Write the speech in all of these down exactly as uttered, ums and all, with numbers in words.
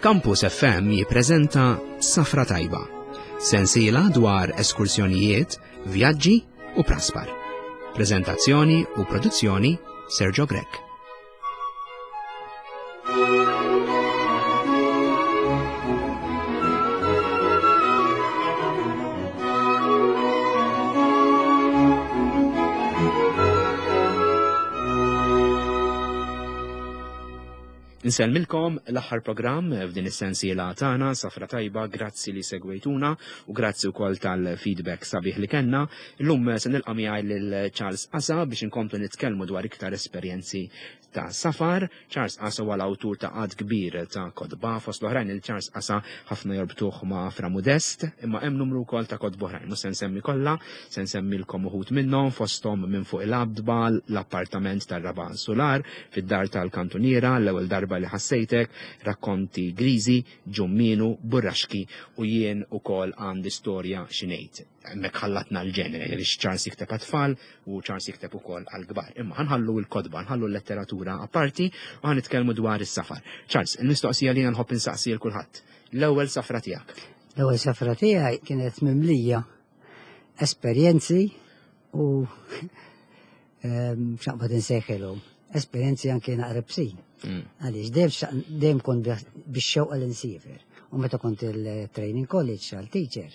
Campus F M jippreżenta Safra Tajba, sensiela dwar eskursjonijiet, vjaġġi u praspar. Prezentazzjoni u produzzjoni Sergio Grech. Insellmilkom l-aħħar programm f'din is-sensiela tagħna Safra Tajba, grazzi li segwejtuna u grazzi wkoll tal-feedback sabiħ li kellna. Illum se nilqa' miegħi lil Charles Asa biex inkomplu nitkellmu dwar iktar esperjenzi ta' safar. Charles Asa huwa l-awtur ta' għadd kbir ta' kotba, fost l-oħrajn il Charles Asa ħafna jorbtuh ma' Fra Modest, imma hemm numru wkoll ta' kotba oħrajn. Mhux se nsemmi kollha, se nsemmilkom uħud minnhom, fosthom Minn fuq il-għadba, L-appartament tar-raba' sular, Fid-dar tal-kantuniera, L-ewwel darba li ħassejtek, Rakkonti Griżi, Ġumminu, Burraxki u Jien ukoll għandi storja xi ngħid. Hemmhekk ħallatna l-ġeneri għaliex Charles jikteb għat-tfal u Charles jikteb ukoll għall-kbar. Imma ħa nħallu l-kotba, nħallu l-letteratura apparti u ħa nitkellmu dwar is-safar. Charles, il-mistoqsija li nħobb insaqsi lil kulħadd. L-ewwel safra tiegħek. L-ewwel safra tiegħi kienet mimlija esperjenzi u x'naqbad insejħilhom. Esperjenzi anke naqra bsin. Mm. Għaliex dejjem dejjem kont bix-xewqa li nsiefer. U meta kont il-training college għal teacher,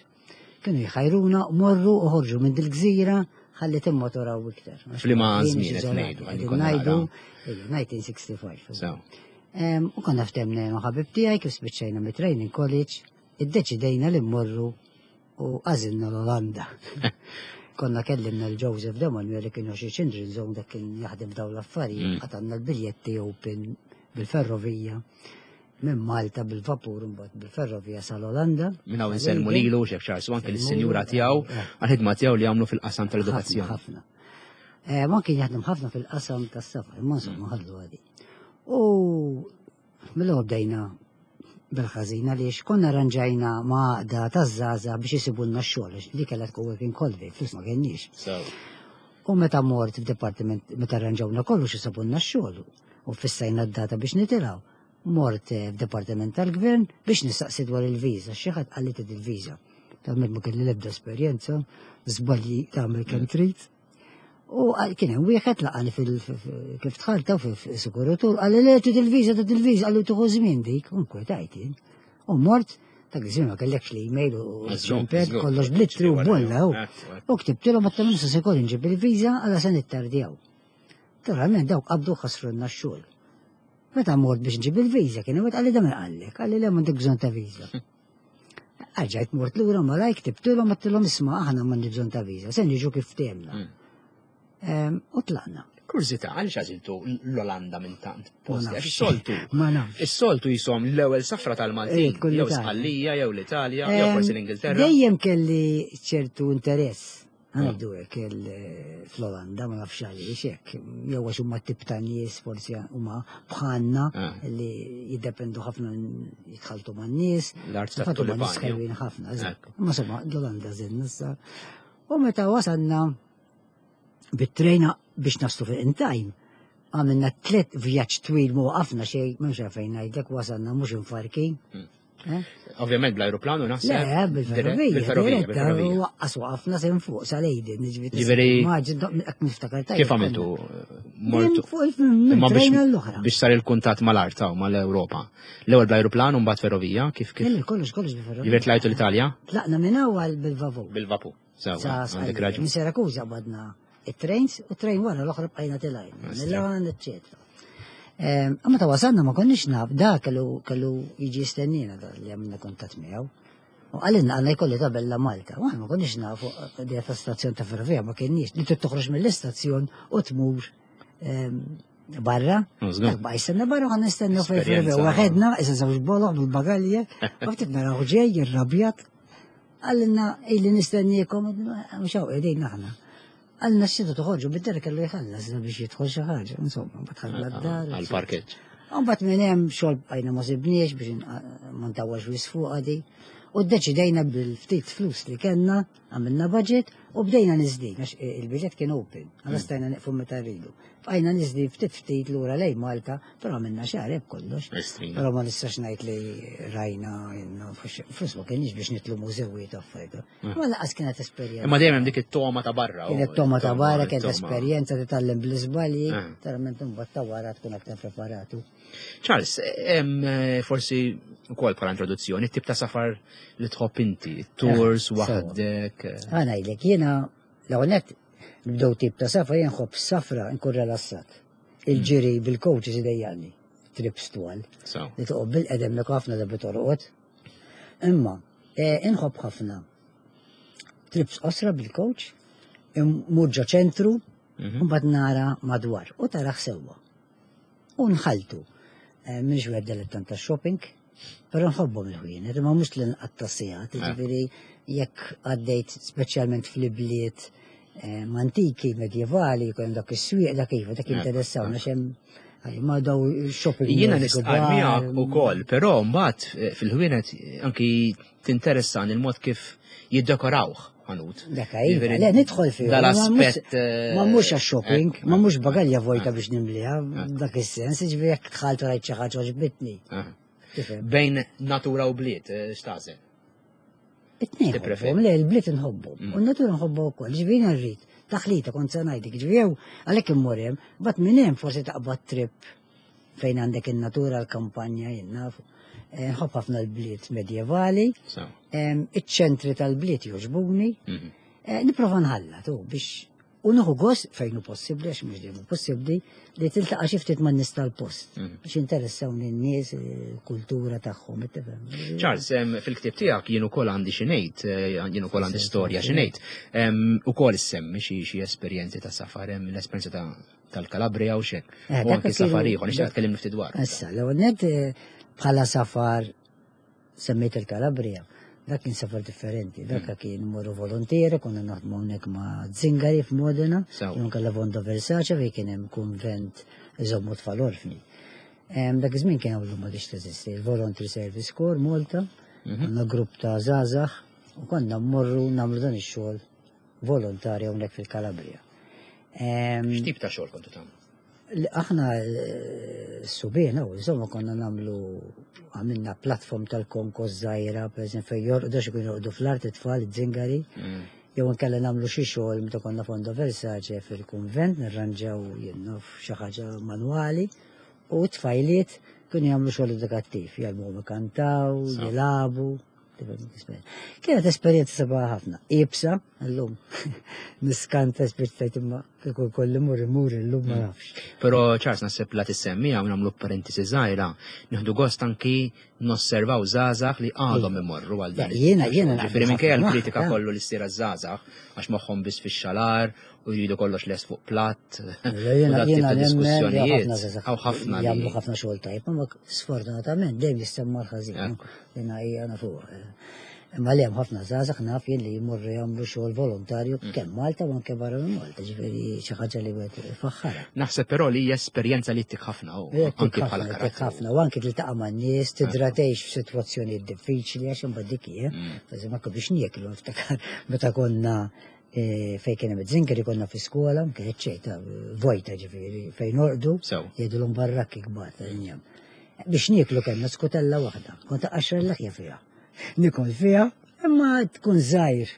kienu jħajruna morru u ħorġu minn dil-gżira ħalli timmotoraw iktar. F'liema żmien qed ngħidu, għalli konna Ngħidu nara. ejja, elf disa' mija u sitta u ħamsin. So. Em, U konna ftemna jien u ħabib tiegħi kif spiċċajna mit-training college, iddeċidejna li mmorru u għażilna l-Olanda. Konna kellimna l-Joseph Demanuel li kienu xi Children's Zone, dak kien jaħdem f'dawn l-affarijiet, Mm. qatanna l-biljetti open bil-ferrovija minn Malta bil-vapur, mbagħad bil-ferrovija sal-Olanda. Minn hawn insellmu lilu, Chef Charles, u anke lis-sinjura tiegħu Eh. għal-ħidma tiegħu li għamlu fil-qasam tal-edukazzjoni. Ħafna. Eh, Ma kien jaħdem ħafna fil-qasam tas-safar, imma insomma ħallu għadi. U mill-ewwel bdejna bil-ħażin għaliex konna arranġajna ma' għaqda taż-żgħażagħ biex isibulna x-xogħol, għax li kellha tkun working holiday, flus ma kenniex. So. U meta mort f'departiment, meta arranġawna kollox isibulna x-xogħol u fissajna d-data biex nitilgħu. Mort eh, f'departiment tal-gvern biex nistaqsi dwar il-viża, xi ħadd qalli trid il-viża. Talment ma kelli l-ebda esperjenza, żbalji tagħmel kemm trid. U għal- kien hemm wieħed laqani fil kif dħalta fil-sikuratur, qalli le, trid il-viża, trid il-viża, qalli tieħu żmien dik, u nkwetajt jien. U mort, dak iż-żmien ma kellekx l-email u Żgur, ċempel, żgur. kollox bl-ittri u bolla. u- Ekku, ekku. U ktibtilhom għadt nista' se jkolli nġib il-viża għala se nittardjaw. Naturalment dawk qabdu ħasrulna x-xogħol. Meta mort biex nġib il-viża kien hemm qalli da min qallek, qalli le, m'għandek bżonn ta' viża. Erġajt mort lura malaj ktibtilhom, għedtilhom isma', aħna m'għandi bżonn ta' viża, se niġu kif ftehemna. Mm. Em, U tlaqna. Kurżità, għaliex għażiltu l-Olanda minn tant posti? Ma Għax nafx. is-soltu. Ma nafx. Is-soltu jisom l-ewwel safra tal-Maltin, Eh, kull jew Italja. Sqallija, jew l-Italja, jew Em, forsi l-Ingilterra. Dejjem kelli ċertu interess. Għandu hekk il- fl-Olanda, ma nafx għaliex hekk. Jew għax huma tip ta' nies forsi huma bħalna Ah. li jiddependu ħafna jitħaltu man-nies. L-art Infatti huma nies tat-tulipani. ħelwin ħafna, eżatt. Ekku. Ma insomma, l-Olanda żilna issa. U meta wasalna bit-trejna biex naslu fil time, għamilna tlet vjaġġ twil, ma waqafna xejn, m'hemmx fejn ngħidlek, wasalna mhux infarkin. Mm. Eh? Ovvjament bl-ajruplanu naħseb. Le, bil-ferrovija, Bil-ferrovija, diretta, bil-ferrovija. waqqas waqafna sem fuq sal-Leiden, ġifieri. Ġifieri- Maġi, hekk niftakar tajjeb. Kif għamiltu? Mortu. Fuq il-trejna Imma biex l-oħra. biex sar il-kuntatt mal-art u mal-Ewropa. L-ewwel bl-ajruplan u mbagħad ferrovija, kif kif? Kelli kollox, kollox bil-ferrovija. Ġifieri tlajtu l-Italja? Tlaqna minn awal bil-vapur. Bil-vapur. Sewa, Sa għandek Sqallija. raġun. Minn Sirakuża badna it-trains u train wara l-oħra bqajna telajn. Astra. Milan, eccetera. Imma ta' wasalna ma konniex naf, da kellu kellu jiġi jistennina da li għamilna kuntatt miegħu. U qalilna għandna jkolli tabella Malta. U aħna ma konniex nafu di ta' stazzjon ta' ferrovija, ma kienniex. Li trid toħroġ mill-istazzjon u tmur em, barra. Żgur. Dak baqa' jistenna barra u għan nistennu fej ferrovija. Esperjenza. Waħedna, issa żewġ boloħ bil-bagalja, u ftit naraw ġej, irrabjat. Qalilna illi nistenniekom, mhux hawn qegħdin aħna. Qalilna x'tridu toħorġu bid-dar, kellu jħallas biex jidħol xi ħaġa, insomma, badħalna d-dar. Għal-parkeġġ. Mbagħad minn hemm xogħol bqajna ma sibniex biex ma ntawwax wis fuq għadi. U ddeċidejna bil-ftit flus li kellna, għamilna budget U bdejna niżlin, għax il-biljett kien open, għalla Mm. stajna neqfu meta rridu. Bqajna niżlin ftit ftit lura lejn Malta, però għamilna xahar kollox. Estrina. Però ma nistax ngħid li rajna, jenna, flus ma kienx biex nitlu mużewiet affarijiet. Mm. Ma lanqas kienet esperjenza. Imma dejjem hemm dik it-toma ta' barra. Kienet toma ta' barra, kienet it-toma. esperjenza titgħallem bl-iżbalji, Mm. tarament imbagħad ta' wara tkun aktar preparatu. Charles, hemm eh, forsi wkoll bħala introduzzjoni, tip ta' safar li tħobb inti, tours Eh, sewa. waħdek. eh, Ħa ngħidlek, jiena l-ewwel nibdew tip ta' safar, jien nħobb safra nkun rilassat. Il-ġiri bil-coaches idejjaqni, trips twal. So. Li toqgħod bil-qedem li ħafna darbi torqod. Imma, eh, inħobb ħafna trips qosra bil-coach, immur ġo ċentru, Mhm. u mbagħad nara madwar u taraħ sewwa. U nħaltu. Eh, M'iniex wieħed dilettant ta' shopping, però nħobbhom il-ħwienet, imma mhux li nqatta' sigħat, Eh. jiġifieri jekk għaddejt speċjalment fl-ibliet eh, antiki, medjevali, jkun hemm dak is-swieq dak iva, dak Eh, interessawna xem ma daw shopping Jiena malls nistqar kbar, miegħek ukoll, però mbagħad eh, fil-ħwienet eh, anki tinteressan il-mod kif jiddekorawh ħanut. Dak iva, Jiġifieri, le nidħol fih. Dal-aspett. eh, Ma mhux għax-shopping, eh, ma mhux bagalja vojta eh, biex nimliha, dak is-sens, jiġifieri jekk dħalt u rajt xi ħaġa għoġbitni. eh. Tifhem? Bejn natura u bliet, eh, x'tagħżel? It-tnejn Tippreferi? nħobbhom, le l-bliet nħobbhom. Mm. U n-natura nħobbha wkoll, ġifieri rrid. Taħlita kont se ngħidlek, ġifieri jew għalhekk immur hemm, bat minn hemm forsi taqbad trip fejn għandek in-natura l-kampanja jien nafu. Eh, Nħobb ħafna l-bliet medjevali, So. em, iċ-ċentri tal-bliet jogħġbuni, mhm. Eh, Nipprova nħallat u biex u nieħu gost fejn hu possibbli għax mhux dejjem hu possibbli li tiltaqa' xi ftit man-nies tal-post Mhm. biex interessawni n-nies, il-kultura tagħhom, tifhem. Charles, em, fil-ktib tiegħek jien ukoll għandi xi ngħid, eh, jien ukoll għandi storja xi ngħid. Em, Ukoll issemmi xi xi esperjenzi ta' safar, hemm l-esperjenza ta' tal-Kalabria u xek. Eh, U dak anki kienu- safar ieħor, nixtieq dak- tkellimni ftit dwar. Issa, l-ewwel nett eh, bħala safar semmejt il-Kalabria, dak kien safar differenti, dak Mm. kien morru volontieri, konna naħdmu hawnhekk ma' Zingari f'Modena, Sew. jew kella Fondo Versace fejn kien hemm kunvent iżommu tfal orfni. Em, Dak iż-żmien kien hawn ma teżisti, il-Voluntary Service Corps Malta, Mhm. konna grupp ta' żgħażagħ u konna mmorru nagħmlu dan ix-xogħol volontarju hawnhekk fil-Kalabria. Em, X'tip ta' xogħol kontu tagħmlu? Li Aħna eh, subien, u insomma konna nagħmlu għamilna platform tal-konkos żgħira, per eżempju, fejn jorqdu xi kienu jorqdu fl-art it-tfal, iż-żingari, Mm. jew inkella nagħmlu xi xogħol meta konna Fondo Versace fil-kunvent, nirranġaw jien naf xi ħaġa manwali, u t-tfajliet kienu jagħmlu xogħol edukattiv, jgħallmuhom ikantaw, So. jilagħbu. Kienet esperjenza sabiħa ħafna. Iebsa, illum niskanta spiċċajt imma kieku kolli mur imur illum ma nafx. Però Charles naħseb la tissemmiha u nagħmlu parentesi żgħira, nieħdu gost anki nosservaw żgħażagħ li għadhom imorru għal dan. Le, jiena- jiena Ġifieri naqbel minkejja ħafna l-kritika magħha, kollu li ssir għaż-żgħażagħ għax moħħhom biss fix-xalar u jridu kollox lest fuq platt. Le, Jiena u dat tip jiena ta' nemmen li diskussjonijiet. ħafna żgħażagħ Hawn ħafna li jagħmlu ħafna xogħol tajjeb, imma sfortunatament dejjem jissemma l-ħażin. Ekku. Jiena hija nafu. Imma li hemm ħafna żgħażagħ naf jien li jmorru jagħmlu xogħol volontarju Mm. kemm Malta u anke barra minn Malta, ġifieri xi ħaġa li wieħed ifaħħarha. Naħseb però li hija esperjenza li ttik ħafna u anki bħala ħafna, karattru. ħafna, u anke tiltaqa' man-nies, tidra tgħix f'sitwazzjonijiet diffiċli għax imbagħad dik hija. Mm. Per anke biex nieklu niftakar meta konna eh, fejn kien hemm iż-żinkeri konna fi skola, kienet ċejta vojta ġifieri fejn norqdu, Sew. jgħidulhom barrakki kbar tal-injam. Biex nieklu kellna skutella waħda, kont aqaxra l-laħja fiha. Nikol fiha, imma tkun żgħir.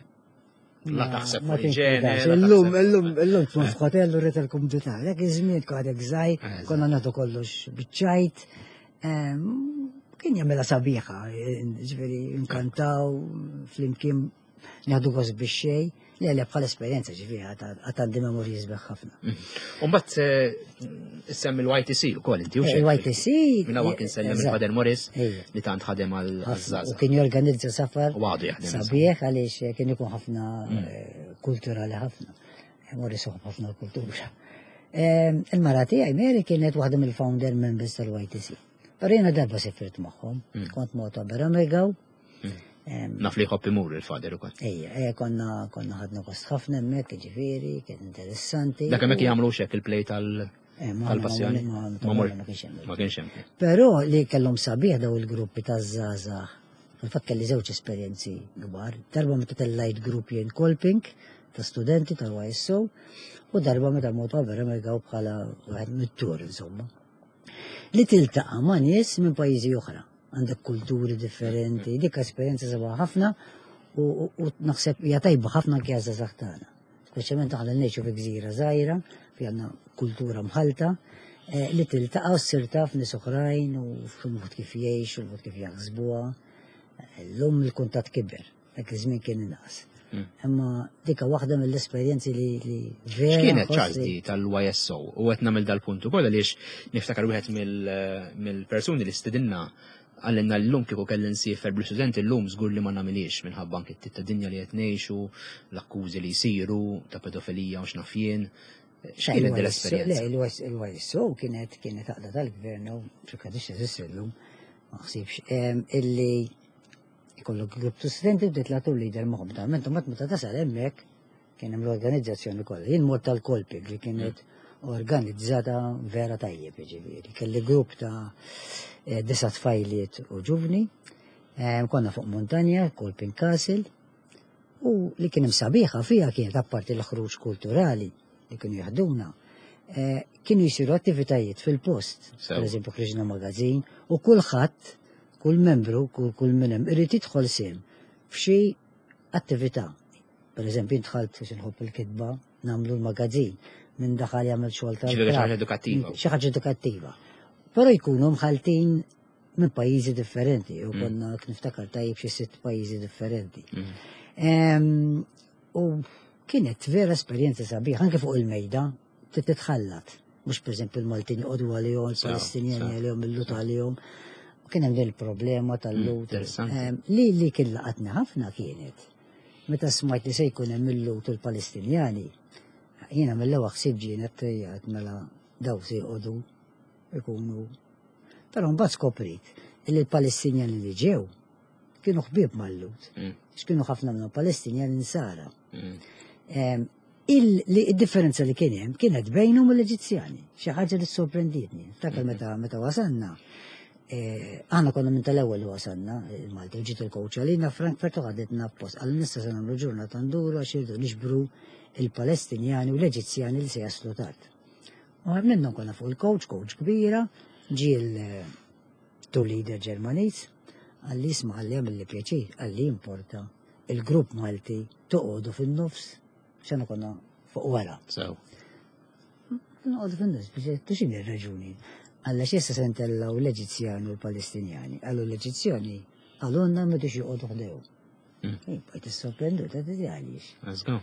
La taħseb Ma fuq iġene, tinkwetax. la Illum, taħseb- illum, illum tkun f'hotel u rrid il-kumdità. Dak iż-żmien tkun għadek żgħir, Eżatt. konna nagħtu kollox biċ-ċajt. Ehm, Kien jagħmilha sabiħa, ġifieri nkantaw flimkien nieħdu gost bix xejn. Le, le bħala esperjenza ġifieri għad għandi memorji sbieħ ħafna. U mbagħad eh, semmi l-Y T C ukoll inti u Eh, xejn. Il-Y T C. Minna hawn kien sellem Eżatt. il-Father Morris Ejja. li tant ħadem għal Ħafna. U żgħażagħ. kien jorganizza safar U għadu jaħdem. sabiħ għaliex kien ikun ħafna eh, kulturali ħafna. Eh, Morris uħobb ħafna l-kultura. Eh, Il-mara tiegħi Mary kienet waħda mill-founder members tal-Y T C. Però jiena darba sifirt magħhom, kont mota Beramegaw. Naf li jħobb imur il-Father ukoll. Ejja, ejja, konna konna ħadna gost ħafna hemmhekk, ġifieri, kien interessanti. Dak hemmhekk jagħmlu xek il-play tal Eh, ma- tal-passjoni. ma- ma- Ma mor- ma kienx hemm. Ma kienx hemm. Però li kellhom sabiħ daw il-gruppi ta' żgħażagħ. Fil-fatt kelli żewġ esperjenzi kbar. Darba meta tellajt grupp jien Kolping, ta' studenti tal-Y S O u darba meta mort vera Amerika bħala wieħed mit-tur, insomma. Li tiltaqa' ma' nies minn pajjiżi oħra, għandek kulturi differenti, dik esperjenza sabiħa ħafna u, u, u naħseb hija tajba ħafna anke għaż-żgħażagħ tagħna. Speċjalment aħna ngħixu fi gżira żgħira, fi għandna kultura mħalta, eh, li tiltaqa' u ssir taf nies oħrajn u fil-mod kif jgħixu, il-mod kif jaħsbuha. Illum il-kuntatt kiber, dak iż-żmien kien inqas. Mm. Imma dika waħda mill-esperjenzi li, li vera. X'kienet nħoss Charles li- di tal-Y S O? U qed nagħmel dal-punt ukoll għaliex niftakar wieħed mill- mill-persuni li stidinna qalilna llum kieku kelli nsiefer bl-istudenti llum żgur li ma nagħmilix minħabba anke t ta' dinja li qed ngħixu, l-akkużi li jsiru ta' pedofilija u x'naf jien. X'kienet din Le, l-esperjenza? il-Y S O kienet kienet għaqda tal-gvern u xi teżisti llum, ma ħsibx, em, illi ikollok grupp ta' studenti u titla' tour leader magħhom. Naturalment, mbagħad meta tasal hemmhekk kien hemm l-organizzazzjoni kollha. Jien mort tal-Kolping li kienet organizzata vera tajjeb, ġifieri. Kelli grupp ta' eh, disa' tfajliet u ġuvni, em, konna fuq montanja, Kolping Castle, u li kien hemm sabiħa fija kienet apparti l-ħruġ kulturali li kienu jaħduna, eh, kienu jisiru attivitajiet fil-post. Sew. Per eżempju, ħriġna magazin u kulħadd, kull membru, kull, kull minn hemm irid jidħol sehem f'xi attività. Per eżempju, dħalt biex nħobb il-kitba, nagħmlu l-magazin, minn daħal jagħmel xogħol tal Ġifieri xi ħaġa edukattiva. Xi ħaġa edukattiva. Però jkunu mħaltin minn pajjiżi differenti, u Mm. konna niftakar tajjeb xi sitt pajjiżi differenti. Mm. Em, U kienet vera esperjenza sabiħ, anke fuq il-mejda, trid titħallat. Mhux per eżempju il-Maltin joqogħdu għalihom, il-Palestinjani sew. għalihom, il-Lhud għalihom. U kien hemm din il-problema tal-Lhud. Mm, interessanti. Em, Li li kien laqatni ħafna kienet. Meta smajt li se jkun hemm il-Lhud u l-Palestinjani, jiena mill-ewwel ħsieb ġienet tejjat mela daw se joqogħdu ikunu. Però mbagħad skoprit li l-Palestinjani li ġew kienu ħbieb mal-Lhud. Mm. X'kienu ħafna minnhom Palestinjani Nsara. Mm. Em, il- li- Il-differenza li kien hemm kienet bejnhom u l-Eġizzjani. Xi ħaġa li sorprendietni. Ftakar meta meta wasalna, eh, aħna konna minn tal-ewwel li wasalna il-Malta, ġiet il-coach għalina Frankfurt u ħadetna post. Għal nista se nagħmlu ġurnata nduru għax irridu niġbru il-Palestinjani u l-Eġizzjani li se jaslu tard. U għem minnhom konna fuq il-coach, coach kbira, ġie il-tour leader Ġermaniż, qalli isma', qalli għamilli pjaċir, qalli importa il-grupp Malti toqgħodu fin-nofs, xana konna fuq wara. Sew. Noqogħdu fin-nofs biex x'inhi r-raġuni? Alla x'issa se ntellaw l-Eġizzjani u l-Palestinjani. Qallu l-Eġizzjani qalulna m'ridux joqogħdu ħdejhom. Mm. Bqajt sorprenduta, ta' għaliex. Let's go.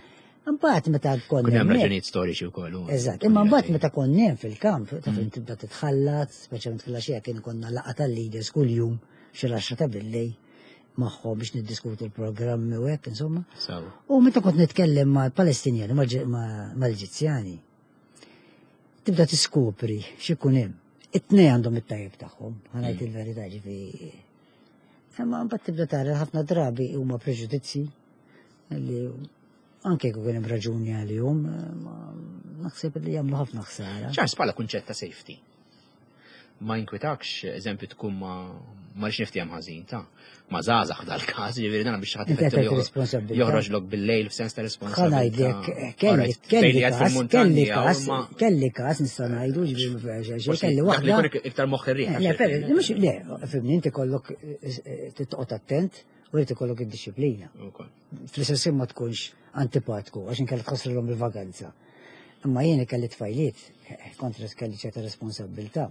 Mbagħad meta konna Kun hemm hemmhekk- raġunijiet storiċi wkoll. u- Eżatt, imma mbagħad meta konna hemm fil-kamp, ta' Mm. fejn tibda titħallat, speċjalment fil-għaxija kien konna laqgħa tal-leaders kuljum xi l-għaxra ta' billejl magħhom biex niddiskutu l-programmi u hekk insomma. Sew. U meta kont nitkellem ma' Palestinjani, ma' mal-Eġizzjani, tibda tiskopri x'ikun hemm. It-tnej għandhom it-tajjeb tagħhom, ħa ngħid Mm. il-verità, ġifi. Imma mbagħad tibda tara ħafna drabi huma preġudizzi li anke jekk ikun hemm raġuni għalihom, ma naħseb li jagħmlu ħafna ħsara. Charles, bħala kunċett ta' safety. Ma jinkwitakx, eżempju, tkun ma ma rix niftiem ħażin ta' ma żgħażagħ dal-każ, ġifieri dan biex ħadd Inti ifettu qed li responsabilità. joħroġ lok bil-lejl f'sens ta' Ħa responsabilità. ngħidlek, kelli Alright, kelli fejn li qed każ, fil-muntanja, kelli każ, ma- kelli każ nista' ngħidu, ġifieri ma fiha xejn, Forsi kelli dak li waħda. jkun iktar moħħ ir-riħ. Le, per, mhux le, fimni, inti kollok eh, eh, titqgħod attent u jrid ikollok id-disciplina. Ukoll. Fl-istess ħin ma tkunx antipatku għax inkella tħassrilhom il-vaganza. Imma jiena kelli tfajliet, eh, kontra kelli ċerta responsabilità.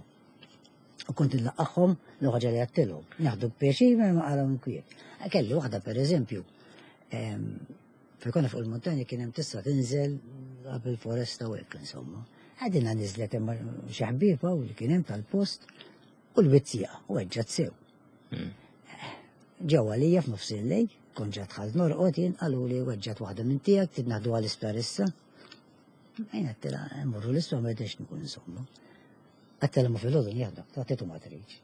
U kont nlaqqagħhom l ħaġa li għedtilhom. Naħdu pjaċir ma għalhom inkwiet. Kelli waħda per eżempju, fejn konna fuq il-montanja kien hemm tista' tinżel qabel foresta u hekk insomma. Għadina niżlet hemm xi ħbieba u li kien hemm tal-post u l-bizzija u weġġat sew. Mm. Ġew għalija f'nofs il-lejl, kont ġa dħalt norqod jien, qalu li weġġat waħda minn tiegħek, trid naħdu għall-isptar issa. Jien għedtilha mmorru l-isptar ma rridx nkun insomma. Għedtilha ma filgħodu nieħdok, ta' ma tridx.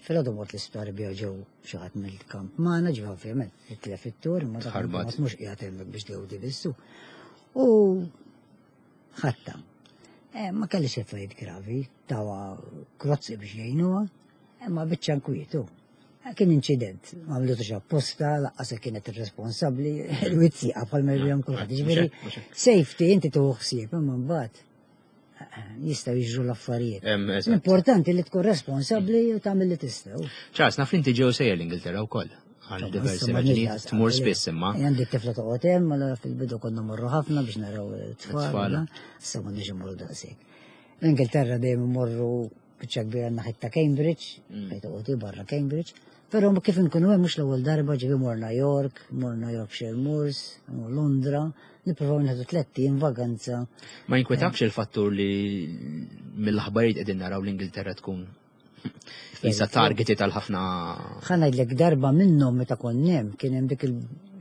Filgħodu mort l-isptar bija ġew xi ħadd mill-kamp magħna, ġew ovvjament itlef it-tur, ma dak Tħarbat. mhux qiegħed hemmhekk biex tgawdi bissu. U ħatta. Eh, ma kellix affarijiet gravi, tawa krozzi biex jgħinuha, imma biċċa nkwiet. Kien inċident, ma għamlutux apposta, lanqas kienet irresponsabbli, il-wizzieqa bħal ma jbihom kulħadd. Ġifieri, safety inti tieħu ħsieb, imma mbagħad jistgħu jiġru l-affarijiet. L-importanti li tkun responsabbli u tagħmel li tistgħu. Charles, naf li inti ġew sejjer l-Ingilterra wkoll għal diversi raġunijiet tmur spiss imma. Għandi t-tifla toqgħod hemm, allura fil-bidu konna morru ħafna biex naraw it-tfal. Issa m'għandniex immorru daqshekk. L-Ingilterra dejjem immorru biċċa kbira naħet ta' Cambridge, mm. fejn toqgħod barra Cambridge. Però kif inkunu hemm mhux l-ewwel darba ġifi morna York, morna Yorkshire Moors, Londra, nippruvaw nieħdu tlett ijiem vaganza. Ma jinkwetakx il-fattur li mill-aħbarijiet qegħdin naraw l-Ingilterra tkun Isa targeti tal-ħafna. Ħa ngħidlek darba minnhom meta kont hemm kien hemm dik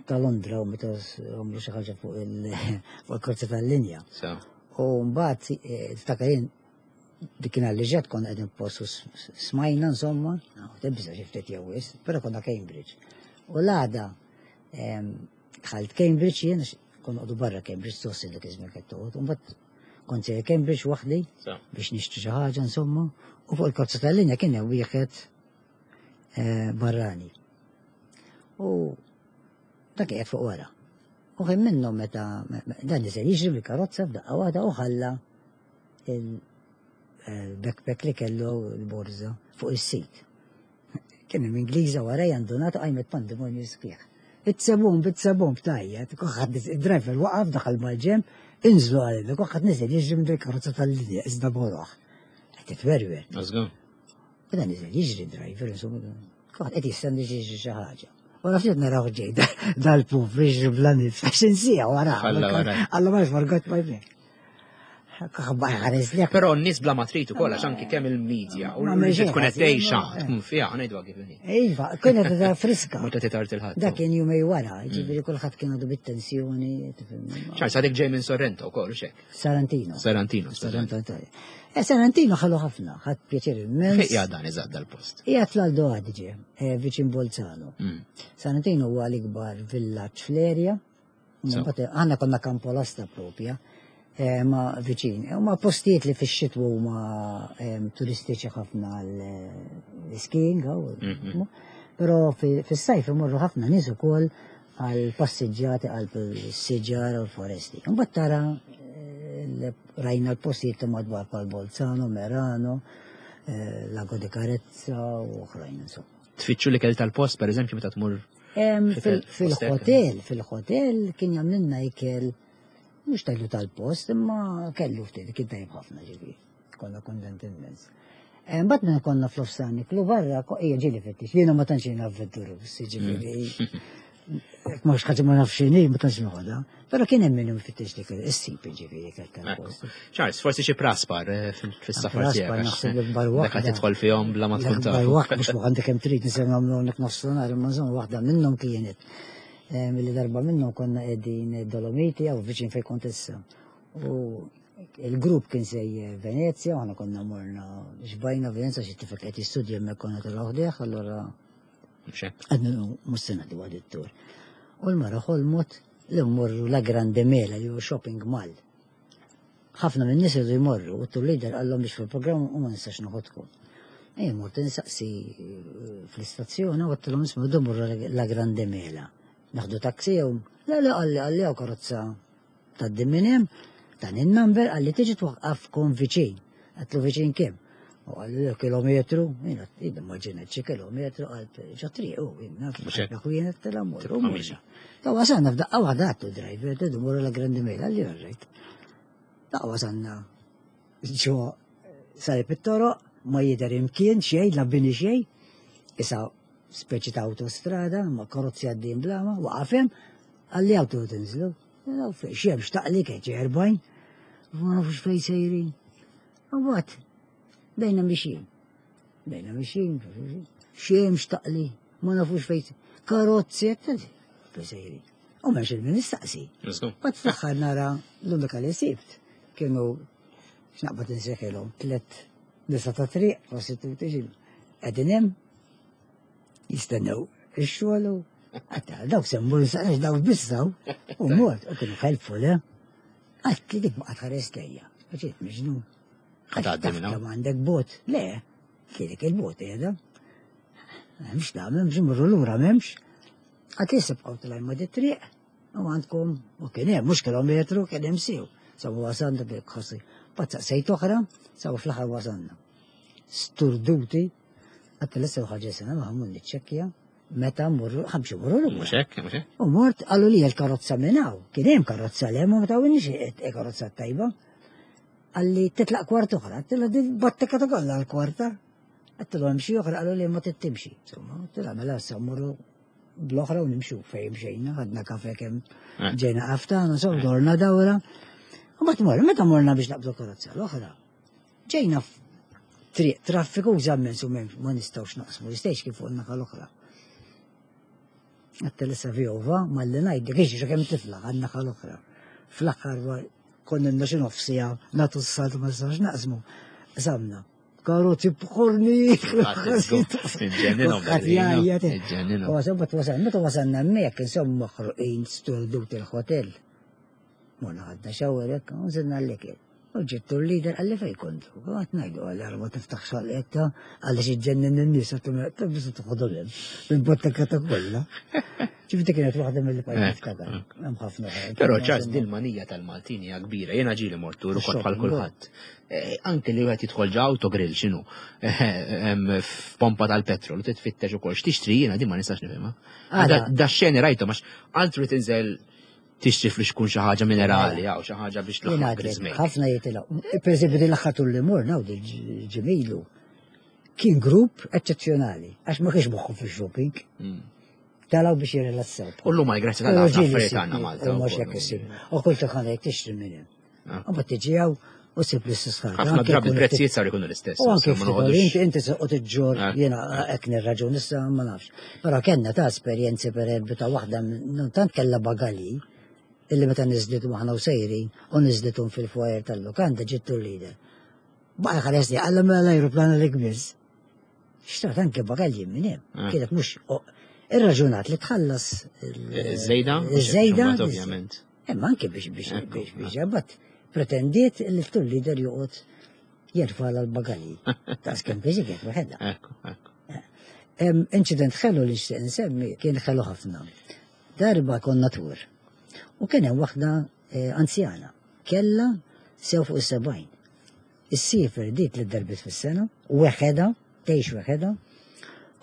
ta' Londra u meta għamlu xi ħaġa fuq il-karozza tal-linja. U mbagħad eh, tiftakar jien dik kien li ġed konna qegħdin postu smajna insomma, tibża xi ftit jew wisq, però konna Cambridge. U l-għada dħalt Cambridge jien konna qogħdu barra Cambridge tossi dik iż-żmien qed toqgħod, u mbagħad kont sejjer Cambridge waħdi biex nixtri xi ħaġa insomma, u fuq il-karozza tal-linja kien hemm wieħed eh, barrani. U dak qiegħed fuq wara. U ħin minnhom meta dan niżel jiġri bil-karozza f'daqqa waħda u ħalla il-backpack li kellu l-borża fuq is-seat. Kien hemm Ingliża warajja ndunat qajmet pandemonju sħiħ. It's a bomb, it's a bomb, tajja. Kulħadd id-driver waqaf daħal mal-ġenb, inżlu għalli, kulħadd niżel jiġri minn karozza tal-linja, iżda boroħ. Qed titwerwer. U dan niżel jiġri driver, insomma, kulħadd qed jistenna jiġri xi ħaġa. Wara ftit naraw ġej dal-puf jiġri bla nifs, għax insija wara. Alla ma forgot my bag. Però n-nies bla ma trid ukoll għax anki kemm il-medja u li tkun qed tgħixha tkun fiha ngħidu kif inhi. Iva, kienet ta' friska. Mhux qed tard il-ħadd. Dak kien jumej wara, ġifieri kulħadd kien għadu bit-tensjoni. Charles, għadek ġej minn Sorrento wkoll xek? Sarantino. Sarantino. Sarantino. Eh, Sarantino ħallu ħafna, ħadd pjaċir immens. Fejn qiegħed dan eżatt dal-post? Qiegħed fl-Alto Adige, eh, viċin Bolzano. Mm. Sarantino huwa l-ikbar villaġġ fl-erja. Aħna konna Campolasta propja. Eh, ma viċin. Huma postijiet li fix-xitwa huma turistiċi ħafna għall-skiing, mhm. però fis-sajf imorru ħafna nies ukoll għal passiġġati għal siġar u l-foresti. Mbagħad tara eh, rajna l-postijiet ta' madwar bħal Bolzano, Merano, eh, Lago di Carezza u oħrajn insomma. Tfittxu l-ikel tal-post, per eżempju, meta tmur Fil-hotel, fil-hotel kien jagħmlilna ikel mhux tajlu tal-post, imma kellu ftit, kien tajb ħafna ġifieri. Konna kontent immens. Mbagħad meta konna fl-offsan niklu barra, hija ġieli fittix. Jiena ma tantx jiena avventurus, ġifieri. Mhux ħaġa ma nafx x'inhi, ma tantx noħodha. Però kien hemm min ifittex dik is-sip ġifieri ikel tal-post. Charles, forsi xi praspar eh, fis-safar tiegħek. Praspar naħseb l-ikbar waħda. Dak tidħol fihom bla ma tkun taf. L-ikbar waħda mhux għandek kemm trid nisimgħu nagħmlu hawnhekk nofsinhar, imma insomma waħda minnhom kienet Milli darba minnhom konna qegħdin Dolomiti jew viċin fejn kont issa. U il-grupp kien sej Venezia, u aħna konna morna xbajna Venezia xi tifel qed jistudja hemmhekk konna tilgħu ħdejh, allura għadna mhux se ngħaddu għad it-tur. U l-mara ħolmot li mmorru La Grande Mela li hu shopping mall. Ħafna minn nies irridu jmorru u t-tour leader qallhom biex fil-programm u ma nistax noħodkom. Ejja mort insaqsi eh, fl-istazzjoni u għedtilhom isma' rridu mmorru La Grande Mela. Naħdu taxi jew le le qalli qalli hawn karozza tgħaddi minn hemm, dan in-number qalli tiġi twaqqafkom viċin. Għedtlu viċin kemm? U qalli le kilometru, jiena immaġinat xi kilometru qalt ġo triq u jiena ħwienet tela mmorru. Ta' wasalna f'daqqa waħda għattu driver, tridu mmorru La Grande Mela, qalli all right. Daqqa wasalna ġo sajb it-toroq, ma jidher imkien xejn, la bini xejn, isa speċi ta' autostrada, ma karozzi għaddin blama, waqaf hemm, qalli hawn tridu tinżlu. Xemx taqli kienet erbgħin, ma nafux fejn sejrin. U mbagħad bejna mixjin. Bejna mixjin, xemx taqli, ma nafux fejn karozzi fejn sejrin. U m'hemmx il-min nistaqsi. Bat fl-aħħar nara l-unika li sibt kienu x'naqbad insejħilhom tliet nisa ta' triq, prostituti xi qegħdin hemm jistennew ix-xogħol u għatta dawk se mmur nistaqsi dawk bissaw u mort u kienu helpful, eh? Għat li dik baqgħet ħares lejja. Ġiet miġnun. Għaddi minn Kemm għandek bot? Le, kienek il-bot qiegħda. M'hemmx nagħmel, biex mmorru lura m'hemmx. Għad tisibqgħu tilgħin ma' dit-triq u għandkom u kien hemm mhux kilometru kien hemm sew. Sabu wasalna dik ħossi. Mbagħad saqsejt oħra, sabu fl-aħħar wasalna. Sturduti, għadt l-issa ħaġa sena ma ħammur niċċekkja meta mmorru ħamxu mmorru lura. Mhux hekk, mhux hekk. U mort qalu li l-karozza minn hawn. Kien hemm karozza l hemm u ma tawniex karozza tajba. Qalli titlaq kwart oħra, għedtilha din battika ta' kollha l-kwarta. Għedtilhom hemm xi oħra qalu li ma tittimxi. Insomma, għedtilha mela issa mmorru bl-oħra u nimxu fejn mxejna, ħadna kafe kemm Eh. ġejna qaftana, so dorna dawra. U mbagħad morna, meta morna biex naqbdu karozza l-oħra. Ġejna triq traffiku immens u ma nistgħux naqsmu l-istejx kif fuq in-naħa l-oħra. Għedtilha issa vjova, malli ngħidlek, iġri kemm tifla għan-naħa l-oħra. Fl-aħħar konna xi nofsija nagħtu s-salt ma nistgħux naqsmu. Qsamna. Karozzi b'ħorni. Iġġenninhom, iġġenninhom. U wasal, meta wasalna hemmhekk, insomma maħruqin sturdut il-hotel. Morna ħadna shower hekk, u nżilna l-ikel. U ġittu l-leader qalli fej kontu. Għat ngħidu qalli ara ma tiftaħ xalqetta, qalli xi ġġennin in-nies, għattu bisu toħodhom hemm. Bil-botteka ta' kollha. Ġifieri kienet waħda mill pajjiż niftakar. Hemm ħafna oħrajn. Però ċas din manija tal-Maltin hija kbira. Jiena ġieli mortu ukoll bħal kulħadd. Eh, Anke li wieħed jidħol ġo autogrill x'inhu eh, f'pompa tal-petrol u titfittex ukoll x'tixtri jiena din ma nistax nifhimha. Għala. Da xeni rajthom għax altru tinżel tixtri flixkun xi ħaġa minerali jew xi ħaġa biex Jien tlaħħaq għadlek, griżmejk. ħafna jitilgħu. Per eżempju, din l-aħħar tul li morna u ġemilu. Kien grupp eċċezzjonali, għax ma kienx moħħu fil-shopping. Mm. Telgħu biex jirrilassaw. U llum għal grazzi tal ħafna affarijiet għandna Malta. U mhux wkoll. hekk issir. U kull taħan jekk tixtri minn hemm. Ah. U mbagħad tiġi hawn u ssib l-istess ħaġa. Ħafna Anke drabi jkun il-prezzijiet saru jkunu l-istess. U anke ma ftit noqogħdux- inti inti se iġġor Ah. jiena hekk nirraġun issa ma nafx. Però kellna ta' esperjenzi per eżempju ta' waħda minn tant kellha bagali illi meta niżlitu aħna u sejrin u niżlitum fil-foyer tal-lukanda ġittu l-leader. Baqa ħares li għalla mela l-ajruplan li kbiż. Xtaqt anke bagalji minn hemm. Ah. Kienet mhux irraġunat li tħallas il- Żejda? Iż-żejda. Ovvjament. Imma anke biex biex Ekku, biex biex ġabat pretendiet li l-tour leader joqgħod jerfa' l-bagalji. Ta' skem biżi kienet waħedha. Ekku, ekku. Hemm incident ħelu li nixtieq insemmi kien ħelu ħafna. Darba konna tour. U kien hemm waħda eh, anzjana. Kella sew fuq is-sebgħin. Issiefer dit li darbit fis-sena, weħeda, tgħix weħeda.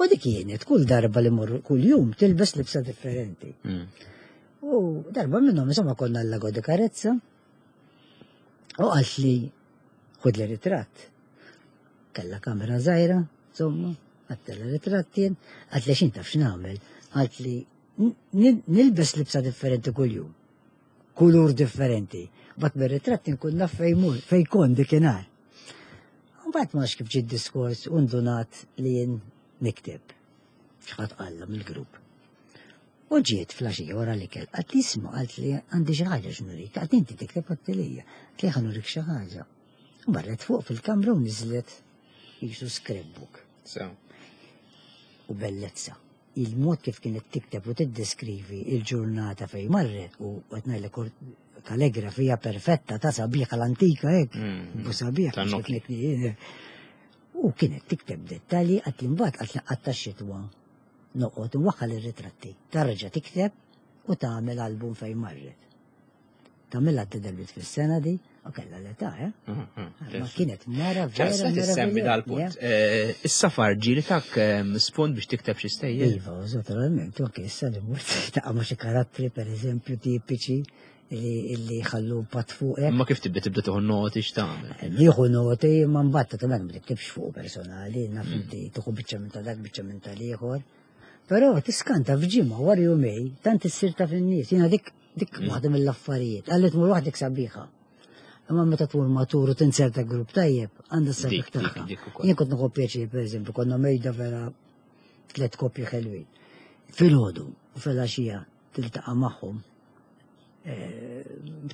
U dik kienet kull darba li morru kull jum tilbes libsa differenti. Mm. U darba minnhom insomma konna l-Lago di Carezza. U qalt li ħud li ritratt. Kella kamera żgħira, insomma, għattella ritratt jien, għalt li xin taf x'nagħmel, għalt li n- nilbes libsa differenti kull jum. Kulur differenti. Bat mir-ritratt nkun naf fej mur, fej kon dikinhar. Mbagħad ma nafx kif ġie diskors u ndunat li jien nikteb. X'ħadd qalla mill-grupp. U ġiet flaxija wara li kell, għalt li isma, għalt li għandi xi ħaġa x'nurik, għalt inti tikteb għattilija, għalt li ħa nurik xi ħaġa. U marret fuq fil-kamra u niżlet jisu scrapbook So. u bellezza. Il-mod kif kienet tikteb u tiddeskrivi il-ġurnata fej marret u qed ngħidlek kaligrafija perfetta ta' sabiħa l-antika hekk, Mm. bu sabiħ. Ta' Nokia. kienet- U kienet tikteb dettalji għat li mbagħad għat li qatta xitwa noqgħod nwaħħal ir-ritratti. Tarġa' tikteb u tagħmel album fejn marret. Tagħmilha darbit fis-sena di u kellha l-età, eh? Ma kienet mara vera. ċas, semmi dal-punt. Eh, Is-safar ġieli tak ehm, spunt biex tikteb xi stejjer. Iva, naturalment, u anke issa li mort taqa' ma' xi karattri per eżempju tipiċi li li ħallu pat fuqek. Ma kif tibda tibda tieħu noti x'tagħmel? Nieħu noti ma mbagħad naturalment ma tiktibx fuq personali, naf inti tieħu biċċa minn ta' dak, biċċa minn tal-ieħor. Però tiskanta f'ġimgħa wara jumej tant issir taf in-nies. Jiena dik dik waħda mill-affarijiet. Qalli tmur waħdek sabiħa. Imma meta tmur matur u tinserta grupp tajjeb, għandha s-sabiħ Dik, dik, tagħha. dik ukoll. Jien kont nieħu pjaċir, pereżempju, konna mejda vera tliet koppji ħelwin. Filgħodu u filgħaxija tiltaqa' magħhom eh,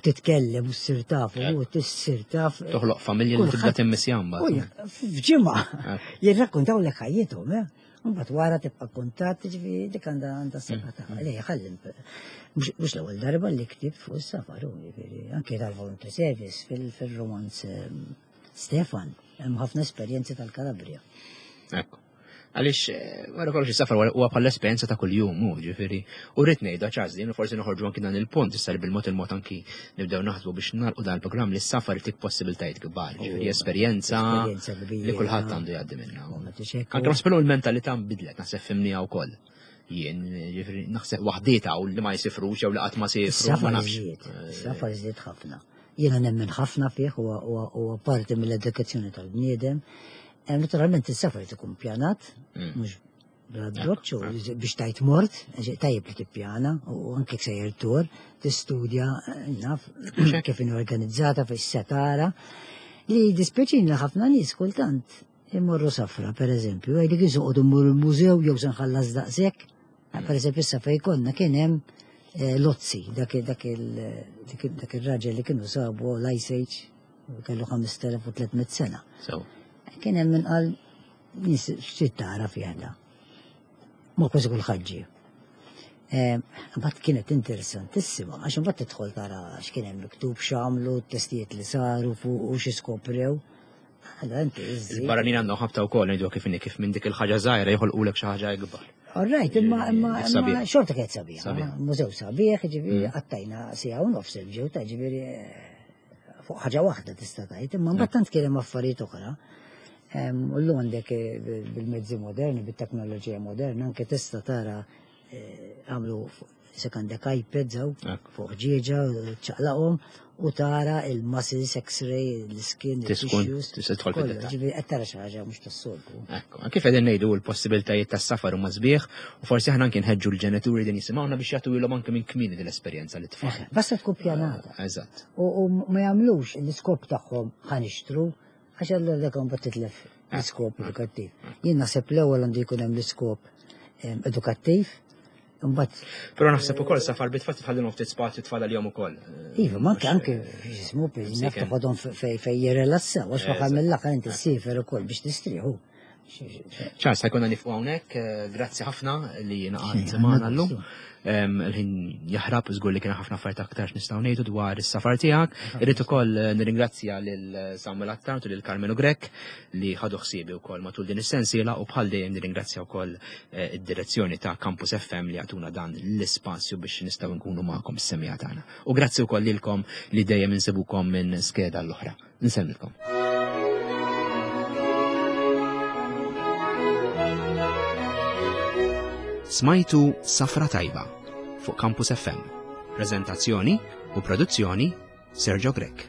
titkellem u ssir taf u tissir taf. Toħloq familja li tibda Kulħadd- timmissja U mbagħad. jek- F'ġimgħa Eh. jirrakkontaw lek ħajjithom, eh? Mbagħad wara tibqa' kuntatt, ġifieri dik għandha għandha s-saħħa tagħha. Le ħallim. Mhux mhux l-ewwel darba li ktibt fuq is-safar, u jiġifieri anke tal-volunteer service fil-romanz ehm, Stefan, hemm ħafna esperjenzi tal-Kalabria. Ekku. Għaliex eh, wara kollox is-safar huwa bħal esperjenza ta' kuljum, hu ġifieri. U rrid ngħidu Charles din forsi noħorġu anki dan il-punt issa li bil-mod il-mod anki nibdew naħsbu biex nagħlqu dan il-programm li s-safar jtik possibiltajiet kbar, ġifieri esperjenza Esperjenza kbira. li kulħadd għandu jgħaddi minnha. U ma tixekku. Anke naħseb il-mentalità nbidlet, naħseb fimniha wkoll. Jien, ġifieri, naħseb waħdieta u li ma jsifrux jew li qatt ma sifru, ma Is-safar nafx. żied, is-safar żied ħafna. Jiena nemmen ħafna fih huwa huwa huwa parti mill-edukazzjoni tal-bniedem. Eh, Naturalment is-safar ikun pjanat, Mm. mhux bla doċċ u biex tajt mort, ġi- tajjeb li tippjana u anke sejjer tur, tistudja, eh, naf kif inhi organizzata fis setara. Li dispjaċini li ħafna nies kultant imorru safra, per eżempju, għajdik jisoqgħodu mmur il-mużew jew se nħallas daqshekk. Per eżempju, issa fejn konna kien hemm eh, Lozzi, dak dak il- dak il- dak ir-raġel li kienu sabu l-Ice Age, kellu ħamest elef u tliet mitt sena. So, Kien hemm min qal nies x'trid tara fih da. Ma kważi kulħadd ġie. Mbagħad kienet interessantissima, għax imbagħad tidħol tara x'kien hemm miktub x'għamlu, t-testijiet li saru fuq u xi skoprew. Allora inti iżżid. Il-barranin għandhom ħabta wkoll ngħidu kif inhi kif minn dik il-ħaġa żgħira joħolqulek xi ħaġa ikbar. All right, imma imma imma Sabiħ. xorta kienet sabiħa. Sabiħ. Mużew sabiħ, ġifieri qattajna siegħa u nofs il-ġew ta' ġifieri eh, fuq ħaġa waħda tista' tgħid, imma mbagħad tant kien hemm affarijiet oħra. Em, U llum għandek eh, bil- bil-mezzi moderni, bit-teknoloġija moderna, anke tista' tara eh, għamlu se għandek iPads hawn Ekku. fuq ġieġa, ċaqlaqhom u tara il-muscles, x-ray, l-skin, Tiskun, il-tissues. tista' tidħol kollu, fid-dettall. Ġifieri qed tara xi ħaġa mhux tas-soltu. Ekku, kif qegħdin ngħidu l-possibiltajiet tas-safar huma sbieħ u forsi aħna anke nħeġġu l-ġenituri din jisimgħuna biex jagħtu ilhom anke minn kmieni din l-esperjenza li tfal. Basta tkun pjanata. Eżatt. U, u ma jagħmlux l-iskop tagħhom ħa nixtru, għax allura dak mbagħad titlef l-iskop edukattiv. Jien naħseb l-ewwel għandu jkun hemm l-iskop em, edukattiv, imbagħad Però naħseb ukoll safar bit-tfal tħallilhom ftit spazju tfal għalihom ukoll. Iva, ma anke anke jismu naf toħodhom fej fej jirrelassaw, għax faħar mill-aħħar inti ssiefer ukoll biex tistrieħu. Charles, ħa jkollna nieqfu hawnhekk, eh, grazzi ħafna li naqat Xejn, magħna għandna llum. gostu. Em, Il-ħin jaħrab żgur li kien ħafna affarijiet aktar nistgħu ngħidu dwar is-safar tiegħek. Irrid ukoll eh, nirringrazzja lil Samuel Attard u lil Carmelo Grech li ħadu ħsiebi wkoll matul din is-sensiela u bħal dejjem nirringrazzja wkoll eh, id-direzzjoni ta' Campus F M li għatuna dan l-ispazju biex nistgħu nkunu magħkom is-semija tagħna. U grazzi wkoll lilkom li dejjem insibukom minn skeda l-oħra. Nsellmilkom. Smajtu Safra Tajba fuq Campus F M. Prezentazzjoni u produzzjoni Sergio Grech.